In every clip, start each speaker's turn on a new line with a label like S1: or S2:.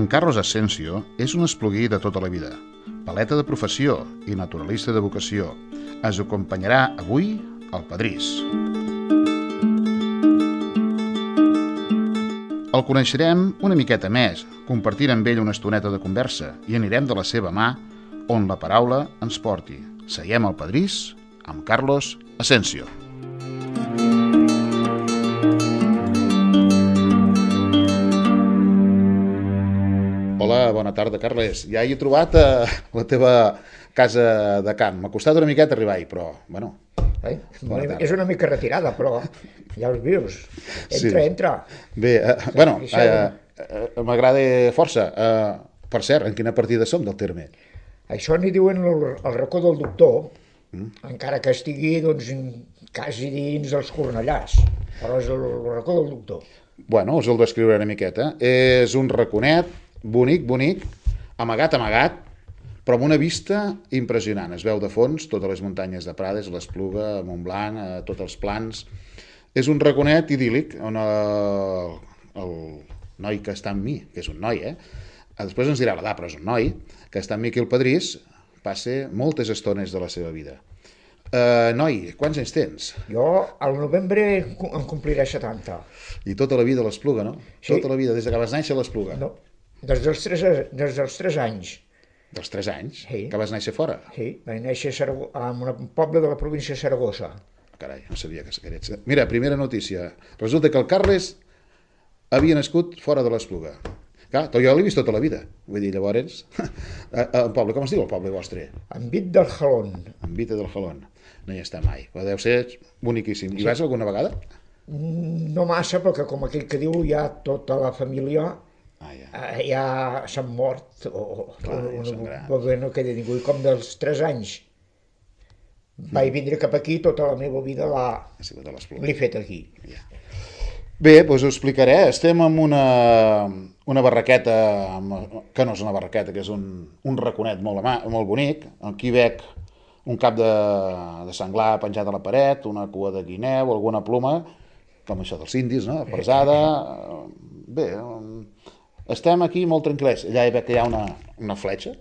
S1: En Carlos Asensio és un espluguí de tota la vida, paleta de professió i naturalista de vocació. Ens acompanyarà avui al Pedrís. El coneixerem una miqueta més, compartint amb ell una estoneta de conversa i anirem de la seva mà on la paraula ens porti. Seiem al Pedrís amb Carlos Asensio. Hola, bona tarda, Carles. Ja he trobat la teva casa de camp. M'ha costat una miqueta arribar-hi, però, bueno...
S2: És una mica retirada, però ja els vius. Entra.
S1: Bé, m'agrada força. Per cert, en quina partida som del terme?
S2: Això n'hi diuen el racó del doctor, encara que estigui doncs, quasi dins dels Cornellars, però és el racó del doctor.
S1: Bueno, us el descriuré una miqueta. És un raconet bonic, amagat, però amb una vista impressionant. Es veu de fons totes les muntanyes de Prades, l'Espluga, Montblanc, tots els plans. És un raconet idíl·lic on el noi que està amb mi, que és un noi, després ens dirà l'edat, però és un noi, que està amb mi aquí al Pedrís, passa moltes estones de la seva vida. Noi, quants anys tens?
S2: Jo al novembre em compliré 70.
S1: I tota la vida a l'Espluga, no?
S2: Sí.
S1: Tota la vida, des que vas néixer a l'Espluga?
S2: No, des dels 3 anys.
S1: Dels 3 anys?
S2: Sí.
S1: Que vas néixer fora?
S2: Sí, vaig néixer en un poble de la província de Saragossa.
S1: Carai, no sabia que eres... Mira, primera notícia. Resulta que el Carles havia nascut fora de l'Espluga. Clar, jo l'he vist tota la vida. Vull dir, llavors... El poble, com es diu el poble vostre?
S2: Envit del Jalón.
S1: Envit del Jalón. No hi està mai, però deu ser boniquíssim. Hi vas alguna vegada?
S2: No massa, perquè com aquell que diu, ja tota la família ja s'han mort o no queda ningú. I com dels 3 anys vaig vindre cap aquí, tota la meva vida l'he fet aquí.
S1: Bé, doncs ho explicaré. Estem en una barraqueta, que no és una barraqueta, que és un raconet molt bonic. Aquí veig un cap de senglar penjat a la paret, una cua de guineu, alguna ploma, com això dels indis, no? Pesada. Bé, estem aquí molt tranquil·lers. Allà veig que hi ha una fletxa.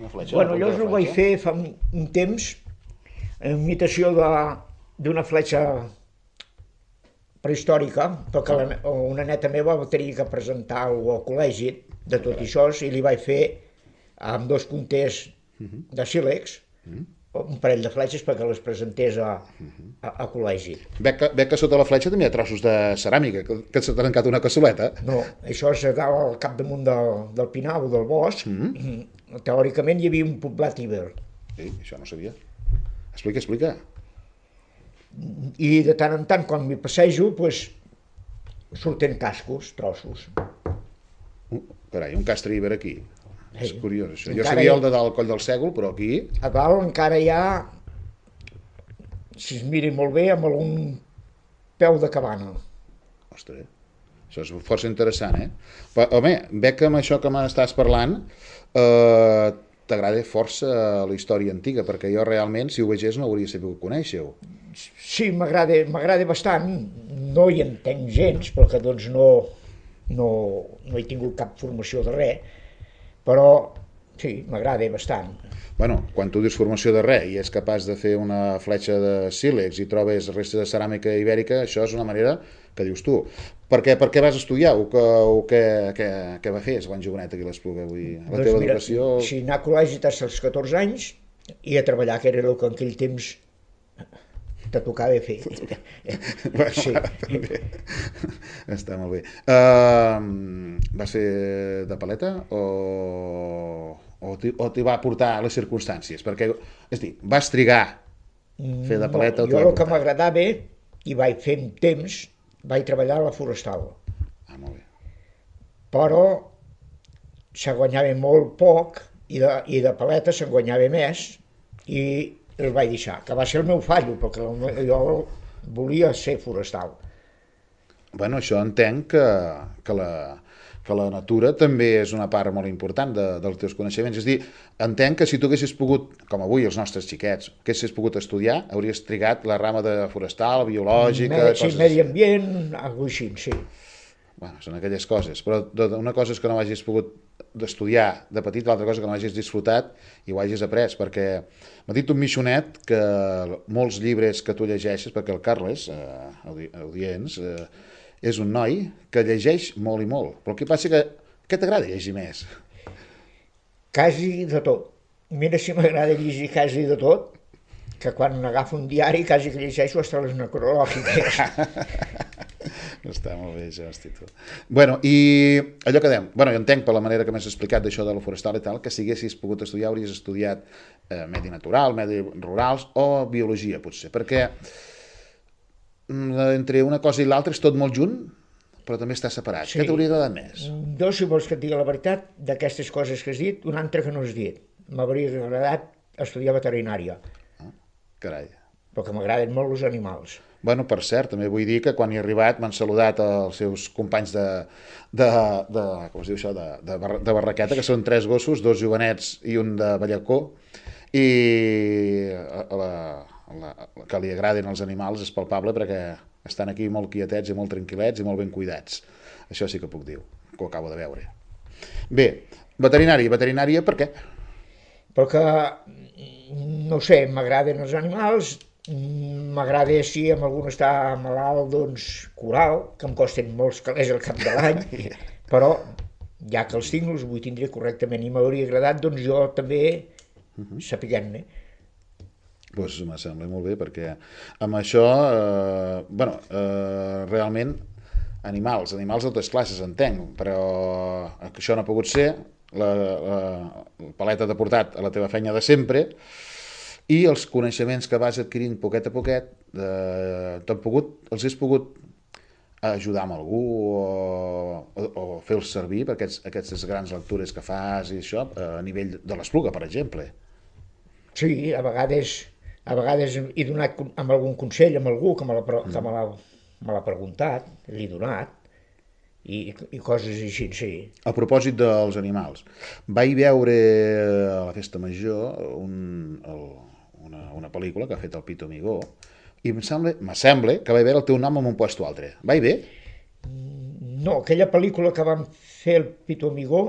S2: Bueno, jo ho vaig fer fa un temps, en imitació d'una fletxa prehistòrica, perquè una neta meva va tenir que presentar al col·legi de tot això, i li vaig fer amb 2 punters de sílex, un parell de fletxes perquè les presentés a col·legi.
S1: Veig que sota la fletxa també hi ha trossos de ceràmica, que s'ha trencat una cassoleta.
S2: No, això és al capdamunt del pinar o del bosc. Teòricament hi havia un poblat iber.
S1: Sí, això no sabia. Explica.
S2: I de tant en tant, quan m'hi passejo, surten cascos, trossos.
S1: Carai, un castre iber aquí. És curiós, això. Jo
S2: Encara
S1: sabia el de dalt, el coll del Sègol, però aquí...
S2: A dalt encara hi ha, si es miri molt bé, amb algun peu de cabana.
S1: Ostres, això és força interessant, Però, home, veig que amb això que m'estàs parlant t'agrada força la història antiga, perquè jo realment, si ho vegés, no hauria sabut conèixer-ho.
S2: Sí, m'agrada bastant. No hi entenc gens, perquè doncs no he tingut cap formació de res, però sí, m'agrada bastant.
S1: Bueno, quan tu dius formació de res i és capaç de fer una fletxa de sílex i trobes restes de ceràmica ibèrica, això és una manera que dius tu. Per què vas estudiar o què va fer quan jovenet aquí a l'Espluga? La teva educació...
S2: Sí, anar a col·legi des dels 14 anys i a treballar, que era el que en aquell temps te tocava fer.
S1: Sí. Està molt bé. Vas fer de paleta o t'hi va portar les circumstàncies? Perquè, és a dir, vas trigar fer de paleta o t'hi va portar?
S2: Jo el que m'agradava, i vaig fer un temps, vaig treballar a la forestal.
S1: Molt bé.
S2: Però se guanyava molt poc i de paleta se'n guanyava més i el vaig deixar, que va ser el meu fallo, perquè jo volia ser forestal.
S1: Bueno, això entenc que la natura també és una part molt important dels teus coneixements. És a dir, entenc que si tu haguessis pogut, com avui els nostres xiquets, haguessis pogut estudiar, hauries trigat la rama de forestal, biològica...
S2: Sí, medi ambient, alguna cosa així, sí.
S1: Bueno, són aquelles coses, però una cosa és que no hagis pogut d'estudiar de petit, l'altra cosa que no hagis disfrutat i ho hagis après, perquè m'ha dit un Michonet que molts llibres que tu llegeixes, perquè el Carles, audients, és un noi que llegeix molt i molt, però el que passa que què t'agrada llegir més?
S2: Quasi de tot. Mira si m'agrada llegir quasi de tot, que quan agafo un diari quasi que llegeixo hasta les necrològiques.
S1: Està molt bé això, hosti, tu. Bueno, i allò que dèiem, bueno, jo entenc per la manera que m'has explicat d'això de la forestal i tal, que si haguessis pogut estudiar hauries estudiat medi natural, medi rurals o biologia, potser, perquè entre una cosa i l'altra és tot molt junt, però també està separat. Sí. Què t'hauria agradat més?
S2: Jo, si vols que et digui la veritat, d'aquestes coses que has dit, una altra que no has dit. M'hauria agradat estudiar veterinària.
S1: Carai.
S2: Perquè m'agraden molt els animals.
S1: Bueno, per cert, també vull dir que quan hi he arribat m'han saludat els seus companys com es diu això, de Barraqueta, que són 3 gossos, 2 jovenets i un de Ballacó, i que li agradin els animals és palpable perquè estan aquí molt quietets i molt tranquil·lets i molt ben cuidats. Això sí que puc dir, que ho acabo de veure. Bé, veterinària per què?
S2: Perquè, no sé, m'agraden els animals, m'agrada si amb algun està malalt, doncs curar-lo, que em costen molts calés al cap de l'any, però ja que els tinc els vull tindre correctament i m'hauria agradat doncs jo també sapiguem-ne.
S1: Doncs me sembla molt bé perquè amb això, realment animals de totes classes entenc, però això no ha pogut ser, la paleta t'ha portat a la teva feina de sempre i els coneixements que vas adquirint poquet a poquet els has pogut ajudar amb algú o fer-los servir per aquestes grans lectures que fas i això a nivell de l'Espluga, per exemple.
S2: Sí, a vegades he donat amb algun consell amb algú que me l'ha preguntat, l'he donat i coses així, sí.
S1: A propòsit dels animals, vaig veure a la Festa Major una pel·lícula que ha fet el Pito Amigó i me sembla que vaig veure el teu nom en un puesto altre. Vaig bé?
S2: No, aquella pel·lícula que vam fer el Pito Amigó,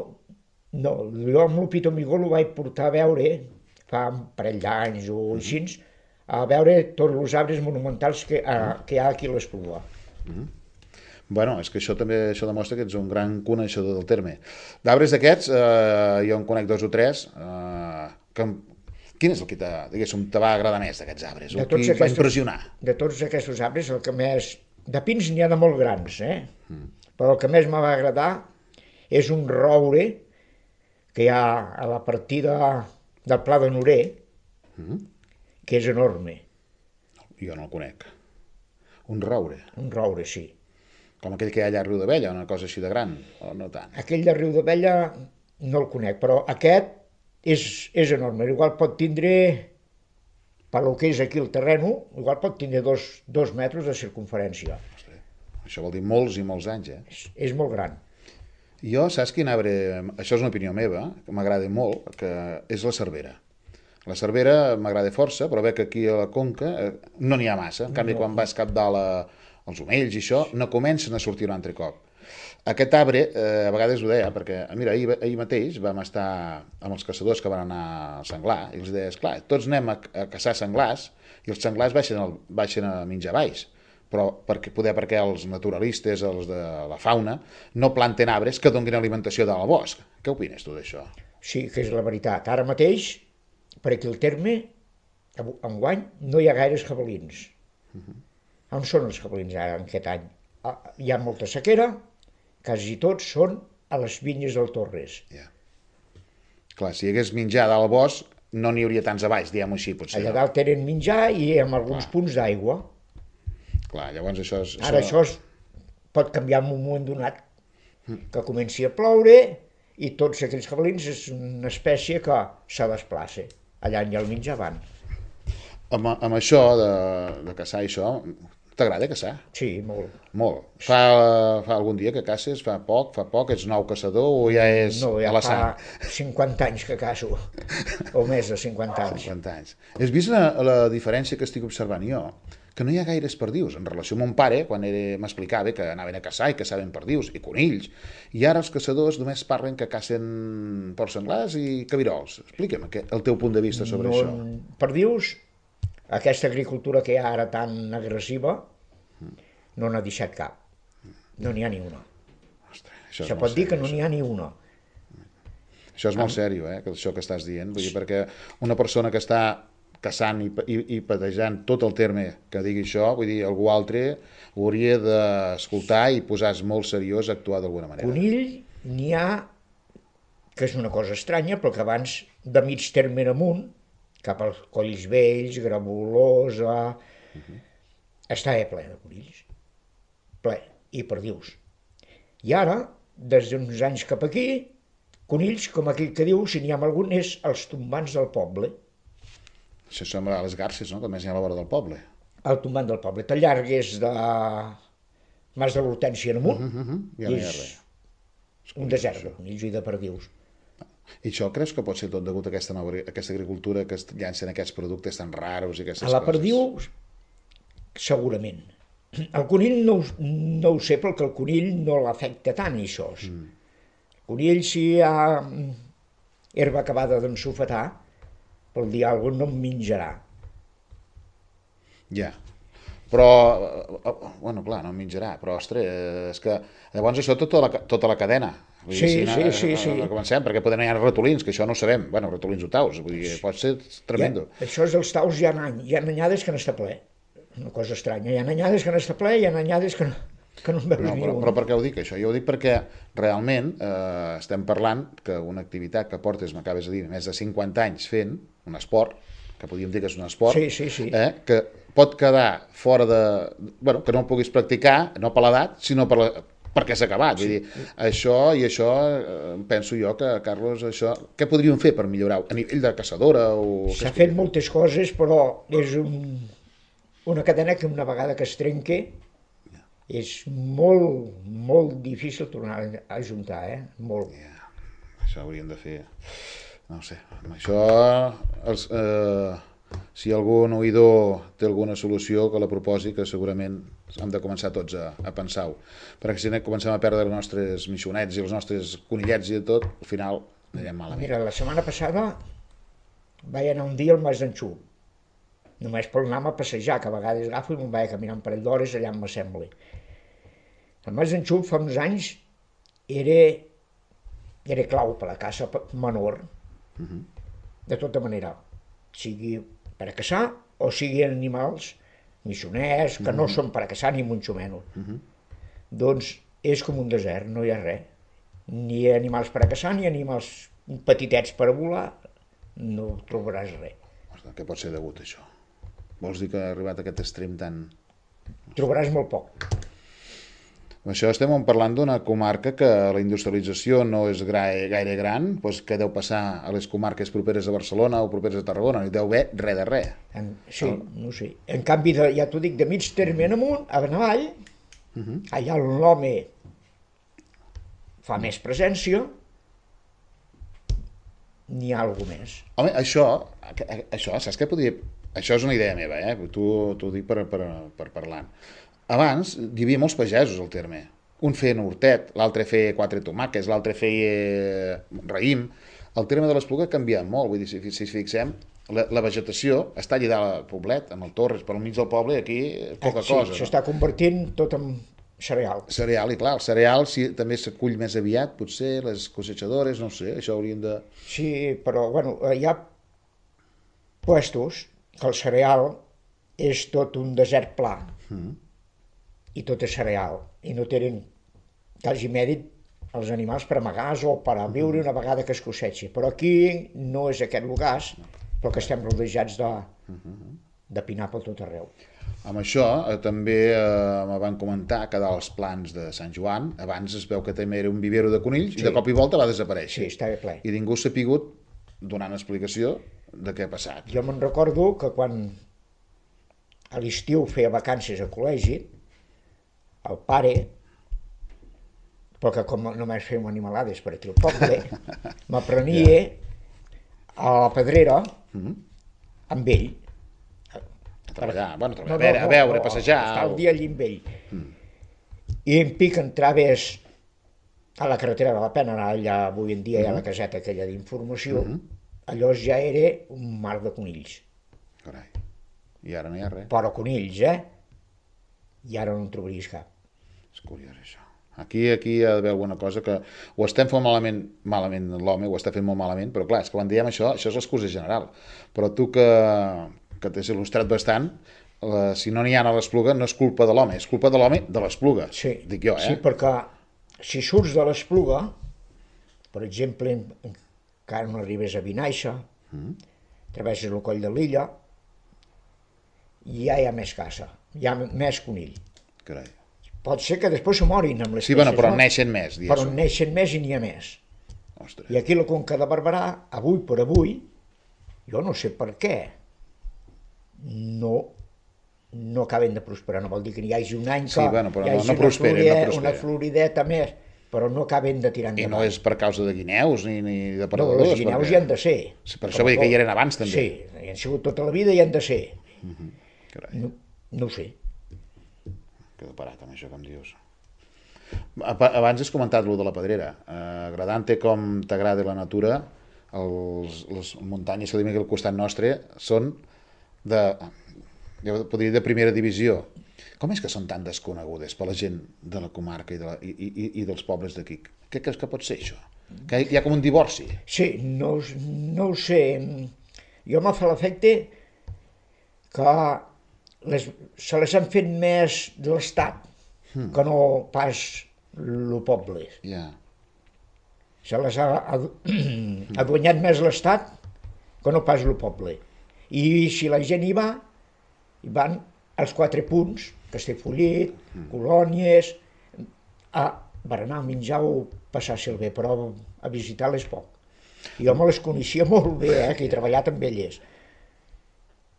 S2: no, jo amb el Pito Amigó l'ho vaig portar a veure fa un parell d'anys o així, a veure tots els arbres monumentals que hi ha aquí a l'Espluga.
S1: Bueno, és que això també demostra que ets un gran coneixedor del terme. D'arbres d'aquests, jo en conec 2 o 3, quin és el que te va agradar més d'aquests arbres? El que va impressionar?
S2: De tots aquests arbres, el que més... De pins n'hi ha de molt grans, però el que més me va agradar és un roure que hi ha a la partida del Pla de Norer, que és enorme.
S1: Jo no el conec. Un roure?
S2: Un roure, sí.
S1: Com aquell que hi ha allà a Riu d'Abella, una cosa així de gran, o no tant?
S2: Aquell de Riu d'Abella no el conec, però aquest és enorme. Igual pot tindre, per lo que és aquí el terreno, igual pot tindre 2 metres de circunferència.
S1: Això vol dir molts i molts anys,
S2: És molt gran.
S1: Jo, saps quin arbre, això és una opinió meva, que m'agrada molt, que és la cervera. La cervera m'agrada força, però veig que aquí a la Conca no n'hi ha massa. En canvi, quan vas cap dalt als omells i això, no comencen a sortir un altre cop. Aquest arbre, a vegades ho deia, perquè, mira, ahir mateix vam estar amb els caçadors que van anar al senglar, i els deia, esclar, tots anem a caçar senglars, i els senglars baixen a menjar valls, però perquè els naturalistes, els de la fauna, no planten arbres que donin alimentació dalt al bosc. Què opines tu d'això?
S2: Sí, que és la veritat. Ara mateix, per aquí al terme, enguany, no hi ha gaires jabalins. On són els jabalins ara en aquest any? Hi ha molta sequera, quasi tots són a les vinyes del Torres.
S1: Clar, si hi hagués menjar dalt al bosc, no n'hi hauria tants a baix, diguem-ho així, potser.
S2: Allà dalt tenen menjar i amb alguns punts d'aigua.
S1: Clar, llavors això és...
S2: Ara això pot canviar en un moment donat, que comenci a ploure i tots aquells jabalins és una espècie que se desplaça. Allà on hi ha el menjar van.
S1: Amb això de caçar i això, t'agrada caçar?
S2: Sí, molt.
S1: Molt. Fa algun dia que caces? Fa poc? Ets nou caçador o ja és a la sang?
S2: No, ja fa 50 anys que caço, o més de 50 anys.
S1: 50 anys. Has vist la diferència que estic observant jo? que no hi ha gaires perdius. En relació amb mon pare, quan m'explicava que anaven a caçar i caçaven perdius i conills, i ara els caçadors només parlen que cacen porcs senglars i cabirols. Explica'm el teu punt de vista sobre això.
S2: Perdius, aquesta agricultura que hi ha ara tan agressiva, no n'ha deixat cap. No n'hi ha ni una.
S1: Ostres,
S2: se pot dir que no n'hi ha ni una.
S1: Això és molt seriós, això que estàs dient, vull dir, perquè una persona que està caçant i patejant tot el terme que digui això, vull dir, algú altre ho hauria d'escoltar i posar-se molt seriós a actuar d'alguna manera.
S2: Conill n'hi ha, que és una cosa estranya, però que abans de mig terme en amunt, cap als Colls Vells, Gravolosa, estava ple de conills, ple, i perdius. I ara, des d'uns anys cap aquí, conills, com aquell que diu, si n'hi ha algun, és els tombants del poble.
S1: Això sembla a les garces, no?, que més n'hi ha a la vora del poble.
S2: El tombant del poble. T'allargues de Mas de l'Hortènsia en amunt,
S1: ja no hi ha res.
S2: Un desert de conills i de perdius.
S1: I això creus que pot ser tot degut a aquesta agricultura que es llancen aquests productes tan raros i aquestes
S2: coses? A la
S1: coses?
S2: perdiu, segurament. El conill no ho sé, perquè el conill no l'afecta tant, això. El conill, si hi ha herba acabada d'ensofetar, pel dir alguna cosa no em menjarà.
S1: Ja. Però, bueno, clar, no em menjarà, però, ostres, és que llavors això tota la cadena. Vull dir,
S2: sí.
S1: Comencem, perquè poden haver ratolins, que això no ho sabem. Bueno, ratolins o taus, vull dir, pot ser tremendo.
S2: Això és dels taus, hi ha anyades que n'està ple. Una cosa estranya. Hi ha anyades que n'està ple i hi ha anyades que no en veus ni un.
S1: Però per què ho dic, això? Jo ho dic perquè realment estem parlant que una activitat que portes, m'acabes de dir, més de 50 anys fent, un esport, que podríem dir que és un esport, que pot quedar fora de... Bueno, que no el puguis practicar, no per l'edat, sinó perquè s'ha acabat. Vull dir, això penso jo que, Carlos, això... Què podríem fer per millorar-ho? A nivell de caçadora o...
S2: S'ha fet moltes coses, però és una cadena que una vegada que es trenqui és molt, molt difícil tornar a ajuntar, molt.
S1: Això hauríem de fer... No ho sé, amb això, si algun oïdor té alguna solució, que la proposi, que segurament hem de començar tots a pensar-ho. Perquè si comencem a perdre els nostres missionets i els nostres conillets i tot, al final anirem malament.
S2: Mira, la setmana passada vaig anar un dia al Mas d'en Xup, només per anar a passejar, que a vegades agafo i me'n vaig a caminar un parell d'hores allà on m'assembli. El Mas d'en Xup fa uns anys era clau per a la caça menor, de tota manera, sigui per a caçar o siguin animals missioners, que no són per a caçar ni mucho menos. Doncs és com un desert, no hi ha res. Ni animals per a caçar, ni animals petitets per a volar, no trobaràs res.
S1: Què pot ser degut a això? Vols dir que ha arribat a aquest extrem tan...
S2: Trobaràs molt poc.
S1: Això estem parlant d'una comarca que la industrialització no és gaire gran, doncs què deu passar a les comarques properes a Barcelona o properes a Tarragona? No hi deu haver res de res.
S2: Sí, no sé. En canvi, ja t'ho dic, de mig terme en amunt, a Benavall, allà l'home fa més presència, n'hi ha alguna més.
S1: Home, això, saps què podria... Això és una idea meva, t'ho dic per parlant. Abans hi havia molts pagesos al terme. Un feia hortet, l'altre feia 4 tomàquets, l'altre feia raïm. El terme de l'Espluga ha canviat molt, vull dir, si fixem, la vegetació està allà dalt al poblet, amb el Torres, però al mig del poble aquí poca cosa.
S2: Sí, s'està convertint tot en cereal.
S1: Cereal, i clar, el cereal també s'acull més aviat, potser, les cosechadores, no sé, això haurien de...
S2: Sí, però, bueno, hi ha puestos que el cereal és tot un desert pla. I tot és cereal, i no tenen quasi mèrit els animals per amagar-se o per a viure una vegada que es cosecha. Però aquí no és aquest lugar, però que estem rodejats de pinar per tot arreu.
S1: Amb això també me van comentar que dels plans de Sant Joan, abans es veu que també era un vivero de conills i de cop i volta va desaparèixer.
S2: Sí, estava ple.
S1: I ningú s'ha pogut donar una explicació de què ha passat.
S2: Jo me'n recordo que quan a l'estiu feia vacances a col·legi, el pare, perquè com només fèiem animalades per aquí al poble, m'aprenia a la pedrera amb ell,
S1: A treballar, a veure, a passejar...
S2: Estar el dia allí amb ell. I em pica entrar ves a la carretera de la Pena, allà avui en dia hi ha la caseta aquella d'informació, allò ja era un mar de conills.
S1: Carai, i ara no hi ha res.
S2: Però conills, I ara no en trobaries cap.
S1: És curiós, això. Aquí hi ha d'haver alguna cosa que ho estem fent malament l'home, ho està fent molt malament, però clar, és que quan diem això és l'excusa general. Però tu que t'has il·lustrat bastant, si no n'hi ha a l'Espluga no és culpa de l'home, és culpa de l'home de l'Espluga, dic jo,
S2: Sí, perquè si surts de l'Espluga, per exemple, encara no arribes a Vinaixa, travesses el coll de l'Illa, ja hi ha més caça, hi ha més conill.
S1: Carai.
S2: Pot ser que després se morin amb les
S1: Sí, bueno, però neixen més, diguéssim.
S2: Però neixen més i n'hi ha més.
S1: Ostres.
S2: I aquí la Conca de Barberà, avui per avui, jo no sé per què, no acaben de prosperar. No vol dir que hi hagi un any que hi hagi una florideta més, però no acaben de tirar endavant.
S1: I no és per causa de guineus ni de perdedors.
S2: No, les guineus hi han de ser.
S1: Sí, per això vull dir que hi eren abans, també.
S2: Sí, hi han sigut tota la vida i hi han de ser. No ho sé.
S1: Quedo parat amb això que em dius. Abans has comentat lo de la Pedrera. Agradant-te com t'agrada la natura, les muntanyes que tenim aquí al costat nostre són jo podria dir de primera divisió. Com és que són tan desconegudes per la gent de la comarca i dels pobles d'aquí? Què creus que pot ser això? Que hi ha com un divorci?
S2: Sí, no ho sé. Jo m'ha fet l'efecte que se les han fet més de l'Estat que no pas el poble. Se les ha aduanyat més l'Estat que no pas el poble. I si la gent hi van als 4 punts, Castellfollit, Colònies, a berenar, menjar o passar-se'l bé, però a visitar-les poc. Jo me les coneixia molt bé, que he treballat amb elles.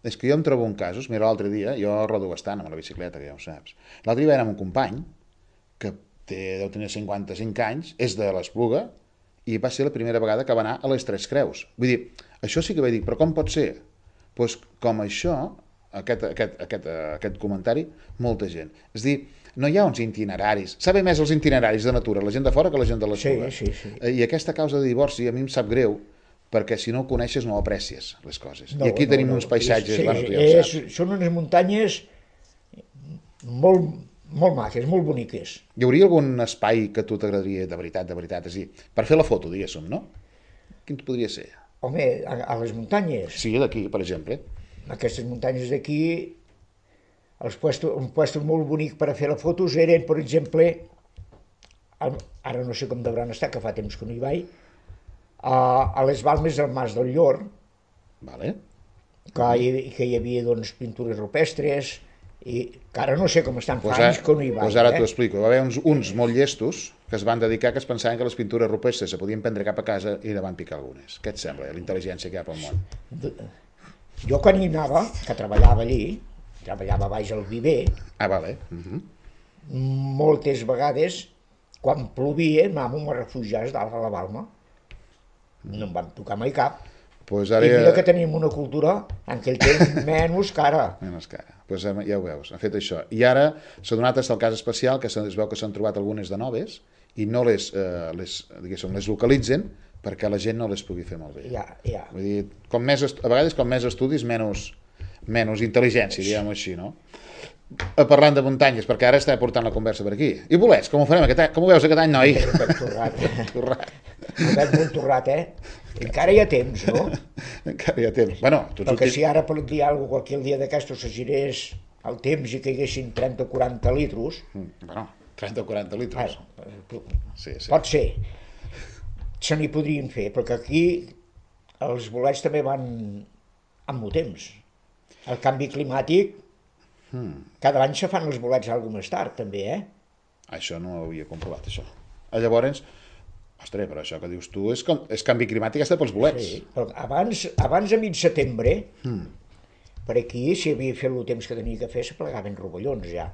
S1: És que jo em trobo en casos, mira, l'altre dia, jo rodo bastant amb la bicicleta, que ja ho saps. L'altre dia vaig anar amb un company, que deu tenir 55 anys, és de l'Espluga, i va ser la primera vegada que va anar a les Tres Creus. Vull dir, això sí que vaig dir, però com pot ser? Doncs com això, aquest comentari, molta gent. És a dir, no hi ha uns itineraris. Sabe més els itineraris de natura, la gent de fora, que la gent de l'Espluga.
S2: Sí.
S1: I aquesta causa de divorci a mi em sap greu, perquè si no ho coneixes no aprecies les coses. I aquí tenim uns paisatges...
S2: Són unes muntanyes molt maques, molt boniques.
S1: Hi hauria algun espai que a tu t'agradaria de veritat, és a dir, per fer la foto, diguéssim, no? Quin podria ser?
S2: Home, a les muntanyes?
S1: Sí, d'aquí, per exemple.
S2: Aquestes muntanyes d'aquí, un puesto molt bonic per a fer la fotos eren, per exemple, ara no sé com devran estar, que fa temps que no hi vaig, a les Balmes del Mas del Llor, que hi havia pintures rupestres, i que ara no sé com estan, fa anys que no hi vaig.
S1: Doncs ara t'ho explico. Va haver uns molt llestos que es van dedicar, que es pensaven que les pintures rupestres se podien prendre cap a casa i ne van picar algunes. Què et sembla, la intel·ligència que hi ha pel món?
S2: Jo quan hi anava, que treballava allí, treballava baix al viver, moltes vegades, quan plovia, anàvem a refugiar-nos dalt a la Balma. No em van tocar mai cap. I mira que tenim una cultura en aquell temps menys cara.
S1: Menys cara. Doncs ja ho veus, han fet això. I ara s'ha donat el cas especial, que es veu que s'han trobat algunes de noves i no les localitzen perquè la gent no les pugui fer malbé. Vull dir, a vegades com més estudis, menys intel·ligència, diguem-ho així, no? Parlant de muntanyes, perquè ara està portant la conversa per aquí. I bolets, com ho farem aquest any? Com ho veus aquest any, noi?
S2: Torrat. El veig molt torrat, Encara hi ha temps, no?
S1: Encara hi ha temps.
S2: Perquè si ara per dir alguna cosa, qualsevol dia d'aquestos se girés el temps i caiguessin 30 o 40 litros...
S1: 30 o 40 litros.
S2: Pot ser. Se n'hi podrien fer, perquè aquí els bolets també van amb el temps. El canvi climàtic, cada any se fan els bolets alguna més tard, també,
S1: Això no ho havia comprovat, això. Llavors, ostres, però això que dius tu és canvi climàtic, està pels bolets.
S2: Sí, però abans a mig setembre, per aquí, si havia fet el temps que tenia que fer, se plegaven rovellons ja.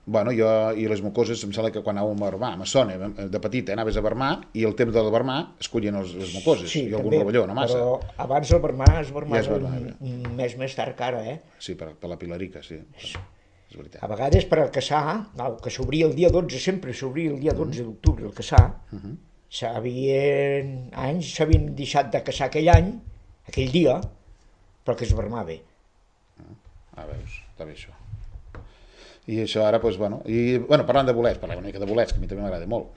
S1: Bueno, jo i les mucoses, em sembla que quan anàvem a Barmà, me sona, de petit, anaves a Barmà i el temps del Barmà es collien les mucoses
S2: Sí,
S1: i algun
S2: també,
S1: rovelló, no massa.
S2: però abans el Barmà es
S1: Ja és
S2: barmava
S1: Barmà,
S2: un mes més tard que ara,
S1: sí, per la Pilarica, sí, és veritat.
S2: A vegades per al Caçà, que s'obria el dia 12, sempre s'obria el dia 12 d'octubre el Caçà, anys s'havien deixat de caçar aquell dia, però que es barmava.
S1: Veus, està bé això. I això ara, doncs, bueno, parlant de bolets, parlem una mica de bolets, que a mi també m'agrada molt.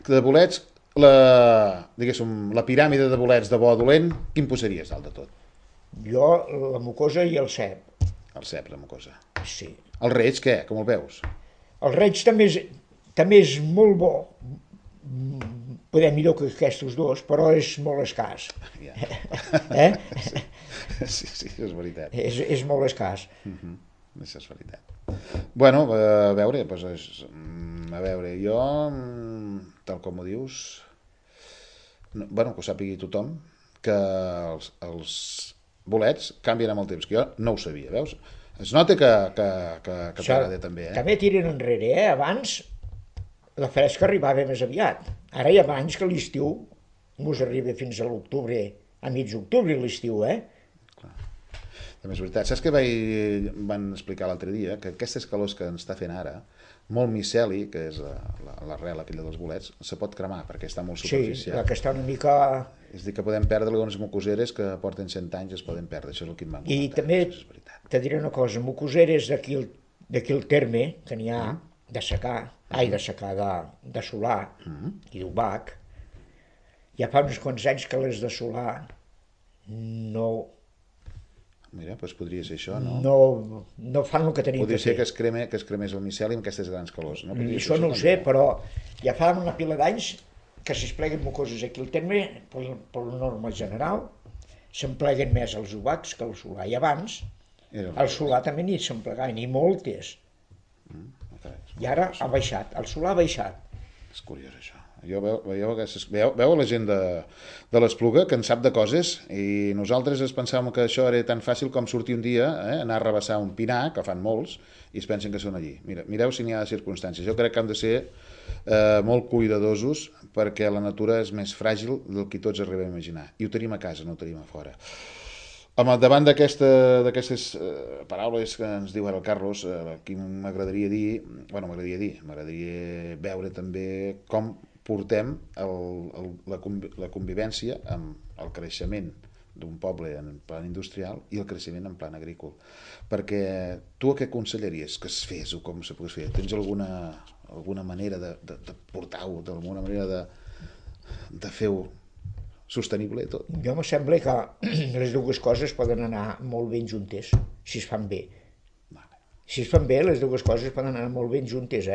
S1: De bolets, diguéssim, la piràmide de bolets de bo a dolent, quin posaries dalt de tot?
S2: Jo, la mucosa i el cep.
S1: El cep, la mucosa.
S2: Sí.
S1: El reig, què? Com el veus?
S2: El reig també és molt bo, poder millor que aquests dos, però és molt escàs.
S1: Yeah. Sí, és veritat.
S2: És molt escàs.
S1: Això és veritat. Bueno, a veure, jo, tal com ho dius, bueno, que ho sàpigui tothom, que els bolets canvien amb el temps, que jo no ho sabia, veus? Es nota que t'agrada també,
S2: També tiren enrere, Abans la fresca arribava més aviat. Ara hi ha anys que l'estiu mos arriba fins a l'octubre, a mig octubre l'estiu,
S1: També és veritat. Saps què van explicar l'altre dia? Que aquestes calors que ens està fent ara, molt miceli, que és l'arrel aquella dels bolets, se pot cremar perquè està molt superficial.
S2: Sí, la que està una mica...
S1: És a dir, que podem perdre algunes mucoseres que porten 100 anys, es poden perdre. Això és el que em van comentar.
S2: I també te diré una cosa, mucoseres d'aquí el terme, que n'hi ha de secar, de solar i d'ubac, ja fa uns quants anys que les de solar no...
S1: Mira, doncs podria ser això, no?
S2: No fan el que tenien
S1: podria
S2: que fer.
S1: Podria ser que es cremés el miceli amb aquestes grans calors. No?
S2: Això no ho sé, però ja fa una pila d'anys que si es pleguen mucoses aquí al terme, per la norma general, se'n pleguen més els ubacs que el solar. I abans, el solar també n'hi se'n plegaven, i moltes. I ara ha baixat, el solar ha baixat.
S1: És curiós, això. Veu la gent de l'Espluga que en sap de coses i nosaltres ens pensàvem que això era tan fàcil com sortir un dia, anar a rebassar un pinar, que fan molts, i es pensen que són allí. Mireu si n'hi ha circumstàncies. Jo crec que hem de ser molt cuidadosos perquè la natura és més fràgil del que tots arribem a imaginar. I ho tenim a casa, no ho tenim a fora. Davant d'aquestes paraules que ens diu ara el Carlos, aquí m'agradaria veure també com portem la convivència amb el creixement d'un poble en plan industrial i el creixement en plan agrícola. Perquè tu què aconsellaries que es fes o com se pogués fer? Tens alguna manera de portar-ho, d'alguna manera de fer-ho sostenible tot?
S2: Jo em sembla que les dues coses poden anar molt ben juntes, si es fan bé. Si es fan bé, les dues coses poden anar molt ben juntes,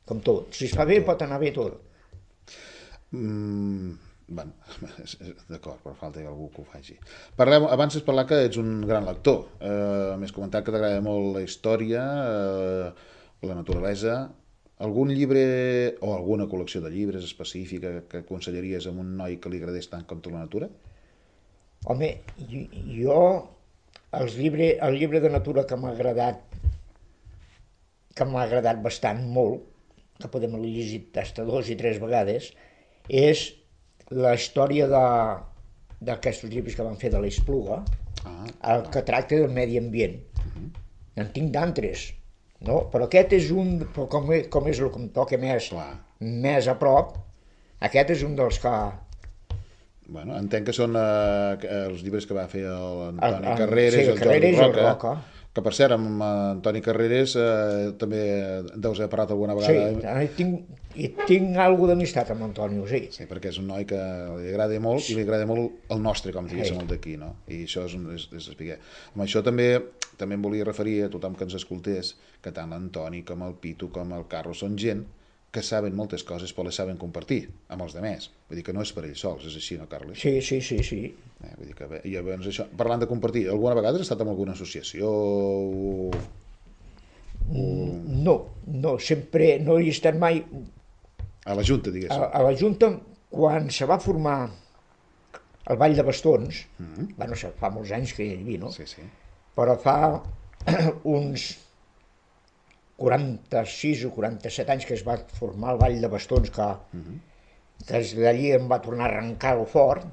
S2: com tot. Si es fa bé, pot anar bé tot.
S1: D'acord, per falta que algú que ho faci. Abans has parlat que ets un gran lector. M'has comentat que t'agrada molt la història, la naturalesa. Algun llibre o alguna col·lecció de llibres específica que aconsellaries a un noi que li agradés tant com tu la natura?
S2: Home, jo el llibre de natura que m'ha agradat bastant molt, que podem haver llegit fins a 2 i 3 vegades, és la història d'aquests llibres que van fer de l'Espluga, el que tracta del medi ambient. En tinc d'altres, no? Però aquest és un, com és el que em toca més a prop, aquest és un dels que...
S1: Bueno, entenc que són els llibres que va fer l'Antoni Carreras i el
S2: Jordi
S1: Roca. Que, per cert, amb Antoni Carreras també deus haver parlat alguna vegada.
S2: Sí, tinc alguna d'amistat amb Antonio, sí.
S1: Sí, perquè és un noi que li agrada molt i li agrada molt el nostre, com diguéssim, el d'aquí, no? I això és explicar. Amb això també em volia referir a tothom que ens escoltés, que tant l'Antoni com el Pitu com el Carlos són gent que saben moltes coses però les saben compartir amb els altres. Vull dir que no és per ells sols, és així, no, Carles?
S2: Sí.
S1: Vull dir que bé, i llavors això, parlant de compartir, alguna vegada has estat en alguna associació o...
S2: No, sempre no hi he estat mai...
S1: A la Junta, diguéssim.
S2: A la Junta, quan se va formar el Ball de Bastons, bueno, fa molts anys que hi havia, no?
S1: Sí.
S2: Però fa uns 46 o 47 anys que es va formar el Ball de Bastons, que des d'allí em va tornar a arrencar-ho fort,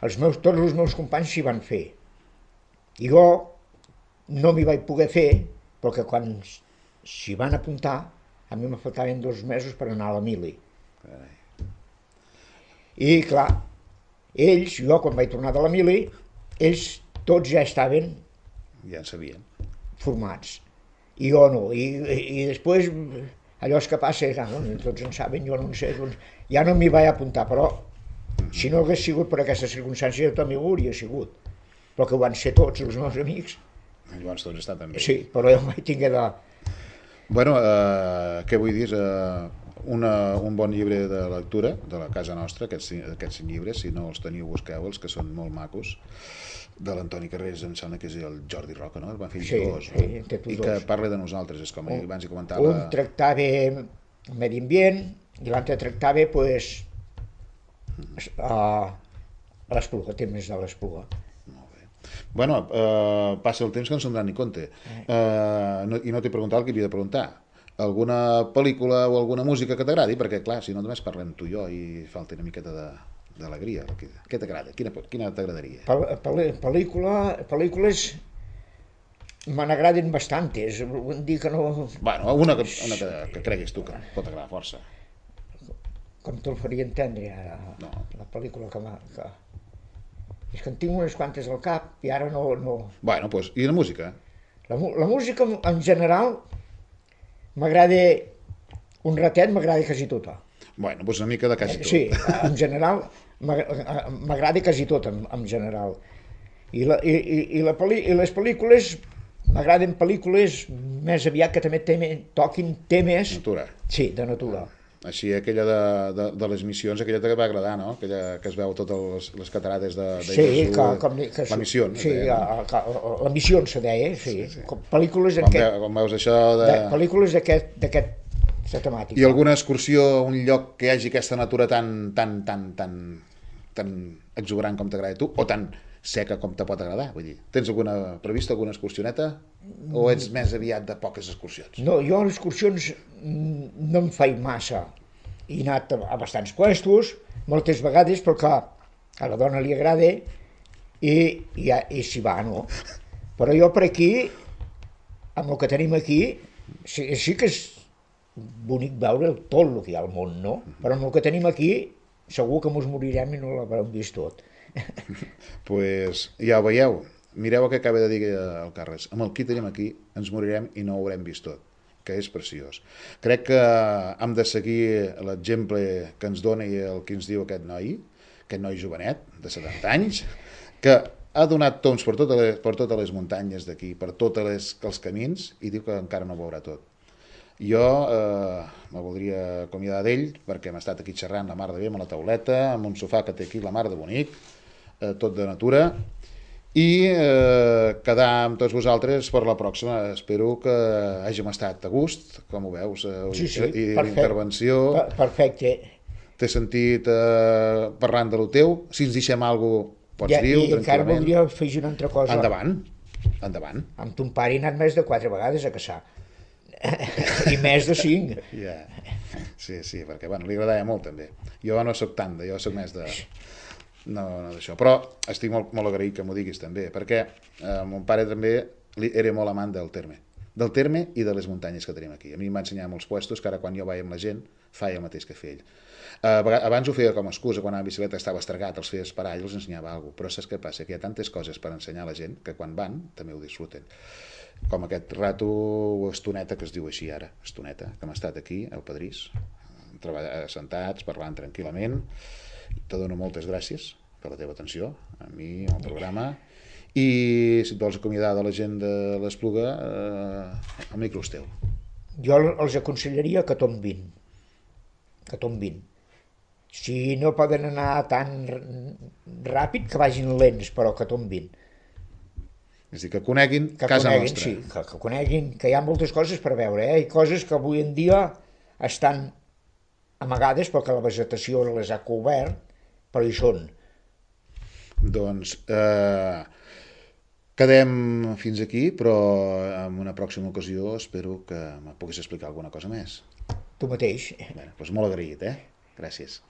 S2: tots els meus companys s'hi van fer. I jo no m'hi vaig poder fer, perquè quan s'hi van apuntar, a mi me faltaven 2 mesos per anar a la mili. I clar, jo quan vaig tornar de la mili, ells tots ja estaven...
S1: Ja en sabien.
S2: Formats. I jo no. I després, allò és que passa, tots en saben, jo no en sé, doncs ja no m'hi vaig apuntar, però si no hagués sigut per aquesta circumstància, jo també ho hauria sigut. Però que ho van ser tots els meus amics.
S1: Llavors tots estan també.
S2: Sí, però jo mai tingué de...
S1: Bueno, què vull dir? Un bon llibre de lectura de la casa nostra, aquests 5 llibres, si no els teniu, busqueu-los, que són molt macos, de l'Antoni Carrés, em sembla que és el Jordi Roca, no? El van fer dos, no?
S2: Sí, té tots
S1: I que
S2: dos.
S1: parla de nosaltres, és com abans hi comentava...
S2: Un tractava medi ambient i l'altre tractava, doncs, l'Espluga, temes de l'Espluga.
S1: Bueno, passa el temps que no se'n donen ni compte. I no t'he preguntat el que havia de preguntar. Alguna pel·lícula o alguna música que t'agradi? Perquè, clar, si no només parlem tu i jo i falta una miqueta d'alegria. Què t'agrada? Quina t'agradaria?
S2: Pel·lícules me n'agraden bastantes. Vull dir que no...
S1: Bueno, una que creguis tu que pot agradar força.
S2: Com te'l faria entendre, ara?
S1: No.
S2: La pel·lícula que... És que en tinc unes quantes al cap i ara no...
S1: Bueno, doncs, i la música?
S2: La música, en general, m'agrada... Un ratet m'agrada quasi tota.
S1: Bueno, doncs una mica de quasi tot.
S2: Sí, en general, m'agrada quasi tot, en general. I les pel·lícules, m'agraden pel·lícules més aviat que també toquin temes...
S1: Natura.
S2: Sí, de natura.
S1: Així, aquella de les missions, aquella que va agradar, no? Aquella que es veu totes les catarates de
S2: sí,
S1: Jesús. La missió,
S2: sí,
S1: deia,
S2: no? La missió se deia, sí. Sí. Pel·lícules
S1: com veus això
S2: pel·lícules d'aquesta temàtica.
S1: I alguna excursió a un lloc que hi hagi aquesta natura tan exuberant com t'agrada a tu, o tan seca com te pot agradar? Vull dir, tens prevista alguna excursioneta? O ets més aviat de poques excursions?
S2: No, jo les excursions no em faig massa. He anat a bastants puestos, moltes vegades, perquè a la dona li agrada i s'hi va, no? Però jo per aquí, amb el que tenim aquí, sí que és bonic veure tot el que hi ha al món, no? Però amb el que tenim aquí, segur que mos morirem i no l'haurem vist tot.
S1: Pues ja ho veieu. Mireu el que acaba de dir el Carles. Amb el que tenim aquí ens morirem i no ho haurem vist tot, que és preciós. Crec que hem de seguir l'exemple que ens dona i el que ens diu aquest noi jovenet, de 70 anys, que ha donat tombs per totes les muntanyes d'aquí, per tots els camins, i diu que encara no ho veurà tot. Jo me voldria acomiadar d'ell, perquè hem estat aquí xerrant la mar de bé amb la tauleta, amb un sofà que té aquí la mar de bonic, tot de natura, i quedar amb tots vosaltres per la pròxima. Espero que hàgim estat a gust, com ho veus,
S2: sí,
S1: i l'intervenció.
S2: Perfecte.
S1: T'he sentit parlant de lo teu. Si ens deixem alguna cosa, pots dir-ho tranquil·lament. I
S2: encara voldria afegir una altra cosa.
S1: Endavant.
S2: Amb ton pare he anat més de 4 vegades a caçar. I més de 5.
S1: Yeah. Sí, perquè li agradava molt també. Jo no soc tant, jo soc més de... No d'això, però estic molt agraït que m'ho diguis també, perquè mon pare també era molt amant del terme i de les muntanyes que tenim aquí. A mi em va ensenyar molts puestos que ara quan jo vaig amb la gent feia el mateix que feia ell. Abans ho feia com a excusa, quan a la bicicleta estava estregat, els feia esperar i els ensenyava alguna cosa, però saps què passa? Que hi ha tantes coses per ensenyar a la gent que quan van també ho disfruten. Com aquest rato o estoneta que es diu així ara, estoneta, que hem estat aquí al Padrís, sentats, parlant tranquil·lament. Te dono moltes gràcies per la teva atenció a mi, al programa, i si et vols acomiadar de la gent de l'Espluga, el micro és teu.
S2: Jo els aconsellaria que tombin. Si no poden anar tan ràpid, que vagin lents, però que tombin.
S1: És a dir, que coneguin casa nostra.
S2: Sí, que coneguin, que hi ha moltes coses per veure, i coses que avui en dia estan amagades perquè la vegetació les ha cobert, però hi són.
S1: Doncs quedem fins aquí, però en una pròxima ocasió espero que me puguis explicar alguna cosa més.
S2: Tu mateix.
S1: Bé, doncs molt agraït, Gràcies.